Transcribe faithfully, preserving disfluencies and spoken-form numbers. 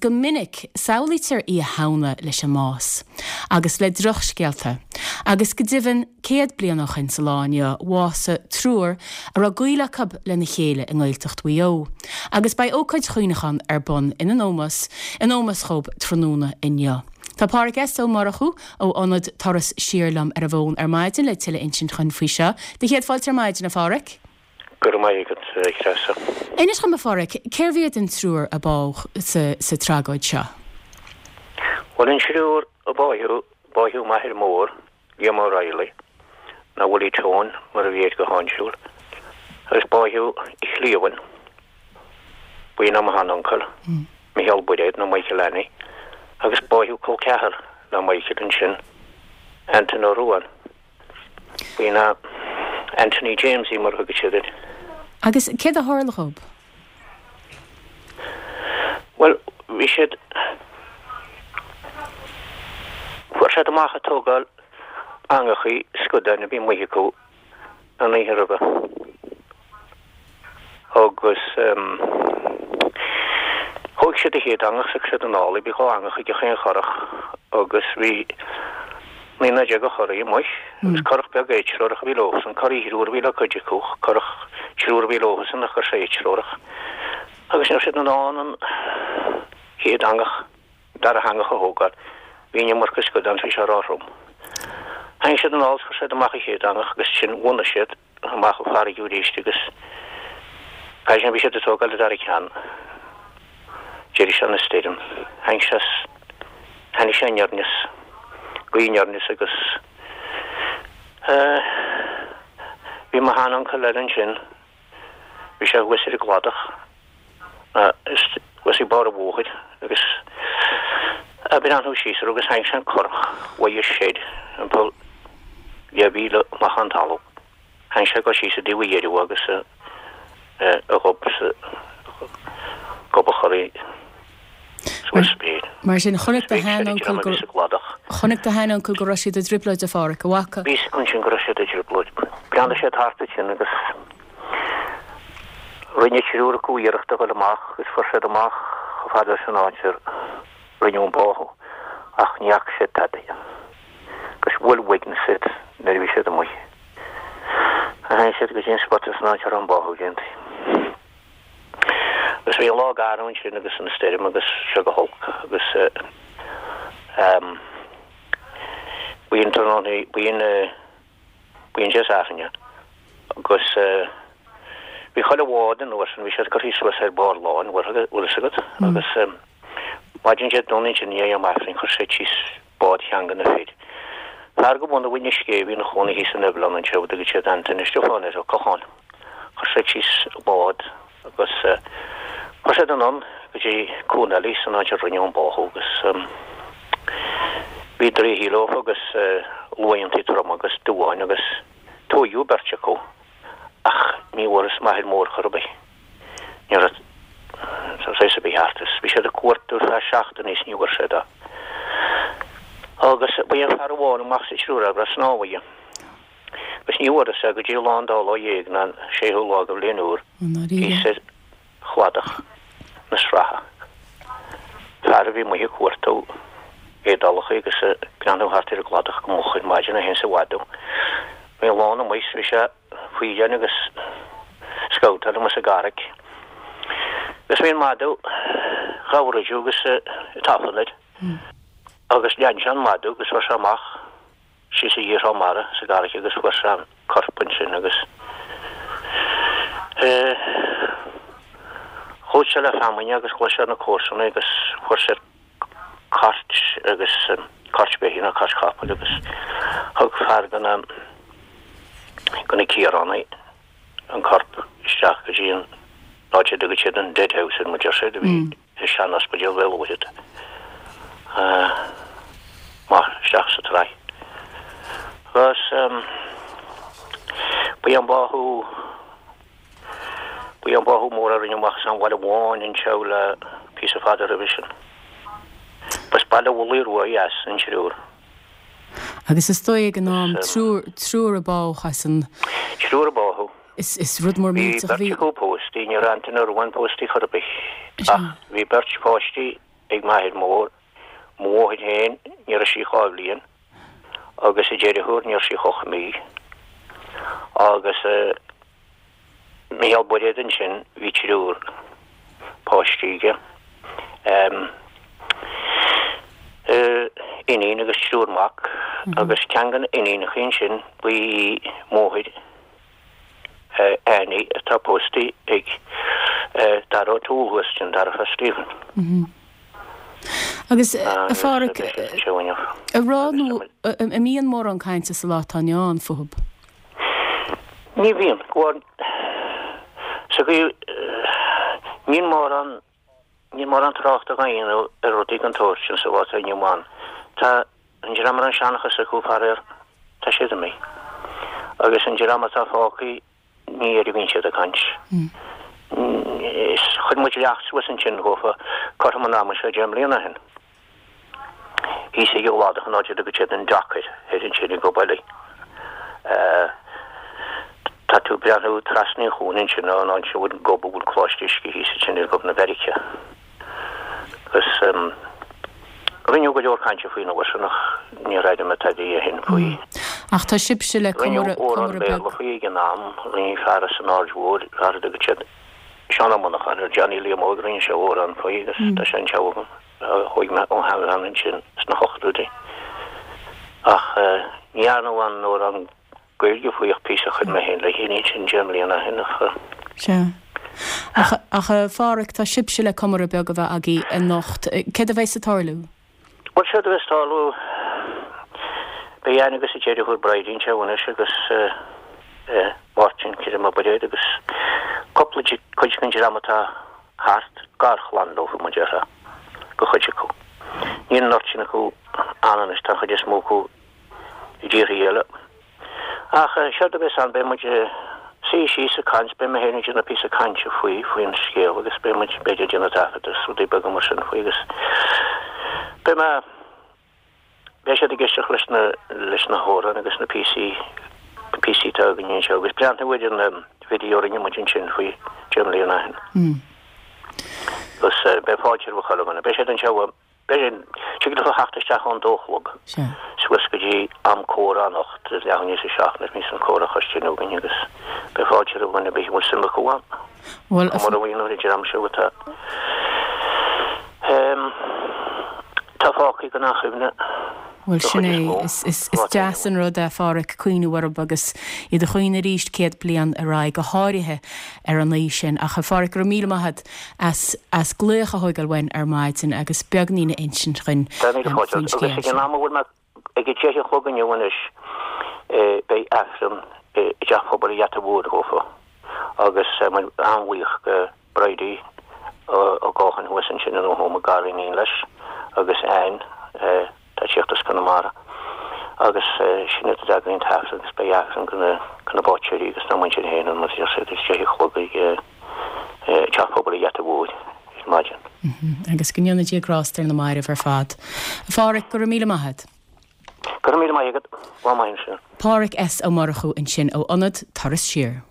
go minic samhlaítear Oíche Shamhna leis an mbás, agus le drochscéalta. Agus go deimhin céad bliain ó shin sa lá inniu bhásaigh triúr a raibh gaol acu lena chéile i nGaeltacht Mhaigh Eo. Agus beidh ócáid chuimhneacháin ar bun ina n-ómós in ómós dhóibh tráthnóna inniu. Tá Pádhraic S. Ó Murchú ó ionad Turas Siar liom ar an bhfón ar maidin le tuilleadh a insint dhúinn faoi seo. Do chéad fáilte ar maidin, a Phádhraic. Go raibh maith agat, a Threasa. Inis dhom, a Phádhraic, cérbh iad an triúr a bádh sa, sa tragóid seo? Bhuel, an triúr a báitheadh, báitheadh m'athair mór, Liam O'Reilly, nó Willie Tone, mar a bhí air go háinsiúil, agus báitheadh a chliamhain, b'in é mo shean-uncail, Micheál Buiréad nó Michael Annie, agus báitheadh col ceathar le Michael ansin, Anton Ó Ruadháin. B'in é Anthony Jamesie mar a thugadh siad air. Agus céard a tharla dhóibh? Bhuel, bhí siad, fuair siad amach ag tógáil eangachaí scudáin a bhí amuigh acu an oíche roimhe. Agus thóg siad an chéad eangach, thug siad anall í, bhí dhá eangach ag chaon churach agus bhí naonúr déag de churaigh amuigh agus curach beag éatreorach a bhí leosan, curaigh thriúr a bhí le cuid acu, curach triúr a bhí leosan ach raibh sé éatreorach. Agus ní raibh siad in ann an chéad eangach, an dara heangach a thógáil, bhí an iomarca scadán, bhí sé róthrom. Tháinig siad anall is chuir siad amach an chéad eangach agus ansin bhunaigh siad amach an farraige arís agus ansin bhí siad ag tógáil an dara ceann. D'éirigh sé ina stoirm. Tháinig sé tháinig sé aniar aneas, gaoth aniar aneas agus bhí mo shean-uncail eile ansin, bhí sé thuas ar an gcladach. Thuas ag barr an bhóthair agus ag breathnú síos air agus tháinig sé an curach uaidh soir timpeall deich mhíle amach ón talamh. Tháinig sé ag dul síos i dtaobh a dheireadh agus a ghob sa gob an churaigh suas spéir. Mar sin, chonaic do shean-uncail go chonaic do shean-uncail go raibh siad i dtrioblóid, a Phádhraic, an bhfaca? Bhí a fhios acu ansin go raibh siad i dtrioblóid. Bhreathnaigh siad thart ansin agus Rinne triúr acu iarracht a dhul amach agus fuair siad amach chomh fada leis an áit ar rinneadh an báthadh ach ní fhaca siad tada. Agus bhuail uaigneas iad nuair a bhí siad amuigh. Tháinig siad go dtí an spota san áit a raibh an báthadh déanta. Agus bhí an lá garbh ansin agus an stoirm agus seo go holc agus ehm b'in tráthnóna, b'in B'in Dé Sathairn agus bhí chuile bhád an uair sin, bhí siad curtha suas ar barr láin, bhfuil fhios agat, agus maidin Dé Domhnaigh ansin i ndiaidh am Aifrinn chuir siad síos bád cheann de na fir. Fear de bhunadh Mhuine Scéimh a bhí ina chónaí thíos in Oibhleán anseo, a dtugadh siad Antaine Stiofáin air, Ó Cocháin. Chuir siad síos bád agus chuir siad anonn go dtí cuan eile san áit a rinneadh an báthadh agus bhí draoithe leofa agus luaidheantaí troma agus duáin agus tóigeadh beirt acu ach ní bhfuarthas m'athair mór chor ar bith. Ní raibh trace ar bith thart is bhí siad ag cuartú ar feadh seachtaine is ní bhfuair siad é. Agus ba é an fear amháin amach sa triúr a raibh snámh aige. Agus ní bhfuarthas é go dtí lá an dá lá dhéag ná an séú lá de bhliain úr thíos ar chladach na sratha. Fear a bhí amuigh ag cuartú éadálacha agus ag breathnú thart ar an gcladach go moch ar maidin é féin is a mhadadh. Bhí an lán amuigh is bhí sé faoi dhein agus scabhtáil amuigh sa gcarraig. Agus bhí an madadh dhá dhruideadh agus ag tafann air. Agus lean sé an madadh agus fuair sé amach síos i dtreo mara sa gcarraig agus fuair sé an corp ansin agus chuaigh sé le feamainn agus ghlaoigh sé ar na comharsana agus fuair siad cairt agus cairt beithígh nó cairt chapaill agus thug fear de na de na Ciaránaigh an corp isteach go dtí an áit a dtugadh siad an Dead House ar mar deir siad a bhí i sean-ospidéal Bhéal Mhuirthead amach isteach sa tsraith. Agus ba é an báthadh, ba é an báthadh mór a rinneadh amach as an Bhaile Bháin anseo le píosa fada roimhe sin. B'as Baile Mhullaigh Rua Dheas an triúr. Agus is dóigh ag an am triúr, triúr a bádh as an. Triúr a bádh. Is, is rud mór Bhí millteach a beirt bhí. acu pósta, ní raibh Antaine Ó Ruadháin pósta chor ar bith, ach bhí beirt pháistí ag m'athair mór, mo mháthair féin, ní raibh sí ach dhá bhliain, agus a deartháir, ní raibh sé ach ocht mí. Agus Mícheál Bairéad ansin, bhí triúr páistí aige, iníon agus triúr mac, agus ceann de na iníonacha ansin, ba í máthair Annie atá pósta ag Dara O'Toole thuas ansin, Dara fear Stephen. Agus, a Pháraic, a rá nó an mbíonn mórán cainte sa lá atá inniu ann fúthub? Ní bhíonn, go sa gcaoi, níl mórán, níl mórán tráchta á dhéanamh ar rudaí den tsórt sin sa lá atá inniu ann. Tá an dream a raibh an seanchas acu, faraor, tá siad imithe. Agus an dream atá fágtha, ní air a bhíonn siad ag caint. Is chuir muid leacht suas ansin dhófa cothrom an ama seo deich mbliana ó shin. Thíos ag an gcladach an áit a dtugann siad an Dock air, thoir ansin i nGob Eilí. Tá tú ag breathnú trasna an chuain ansin ón áit a bhfuil gob a bhfuil coláiste uisce thíos ansin ar Ghob na Beairice. Agus rinneadh go leor cainte faoin uair sin ach níor airigh mé tada ó shin faoi. Ach tá sibhse le Rinneadh comóradh amhrán comóradh beag. Béarla faoi ag an am, rinne fear as an Aird Mhóir, fear a dtugann siad Seán Ó Monacháin air, Johnny Liam Óig, rinne sé amhrán faoi agus tá sé anseo agam, a thóig mé ó sheanbhean ansin sna hochtóidí. Ach ní dhearnadh aon amhrán Gaeilge faoi ach píosa a chuir mé féin le chéile ansin deich mbliana ó shin ach. Sea. Ach, ach a Pháraic, tá sibhse le comóradh beag a bheith agaibh anocht. Céard a bheas ag tarlú? Bhuel, séard a bheas ag tarlú, beidh Anne agus a deirfiúr Bridie anseo anois agus Máirtín Kyrim Ó Bairéad agus cúpla cuid den dream atá thart, garchlann leo mar a déarfá, go chuid acu. Níl an oiread sin acu ann anois, tá an chuid is mó acu i dtíortha eile. Ach séard a bheas ann, beidh muid ag suí síos ag caint, beidh mé féin ag déanamh píosa cainte faoi, faoin scéal agus beidh muid, b'fhéidir, ag déanamh taifead agus rudaí beaga mar sin faoi agus beidh mé, beidh siad ag éisteacht leis na, leis na hamhráin agus na píosaí, na píosaí atá againn anseo agus breathnú ar an video a rinne muid ansin faoi deich mbliana ó shin. Agus beidh fáilte roimh chuile dhuine. Beidh siad anseo Beidh tig leofa theacht isteach ón dó a chlog suas go dtí am comhrá anocht, leath i ndiaidh a seacht nuair a bhíonns an comhrá cois tine againn agus beidh fáilte roimh dhuine ar bith a bhfuil suim acu ann. Bhuel, Comóradh a dhéanamh ar an dream seo atá atá fágtha gan aon chuimhne Bhuel, den sin chuid é. is mó Is, is, sa is lá atá deas inniu an ann. rud é, a Pháraic, cuimhniú orthu agus iad a chaoineadh arís céad bliain ar aghaidh, go háirithe ar an oíche sin. Ach, a Pháraic, go raibh míle maith agat as, as glaoch a thógáil uainn ar maidin agus beagnín a insint dhuinn Tá míle fáilte faoin romhat. Agus scéal ag an sin. am a bhfuil mé ag a deich a chlog inniu anois, beidh Aifreann i dTeach Pobail an Gheata Mhóir dhófa agus tá muid an-bhuíoch go Bridie Ó Gácháin thuas ansin in Oklahoma, gariníon leis, agus Anne, atá ag tíocht as Conamara agus sin iad a d'eagraigh an t-aifreann agus beidh aifreann go na báitéirí agus na muintir féin an mar a deir siad ag deich a chlog ag Teach Pobail an Gheata Mhóir ar maidin. Agus go ndéana Dia grásta ar na mairbh ar fad. A Pháraic, go raibh míle maith agat. Go raibh míle maith agat. Lá maith ansin. Páraic S. Ó Murchú ansin ó Ionad Turas Siar.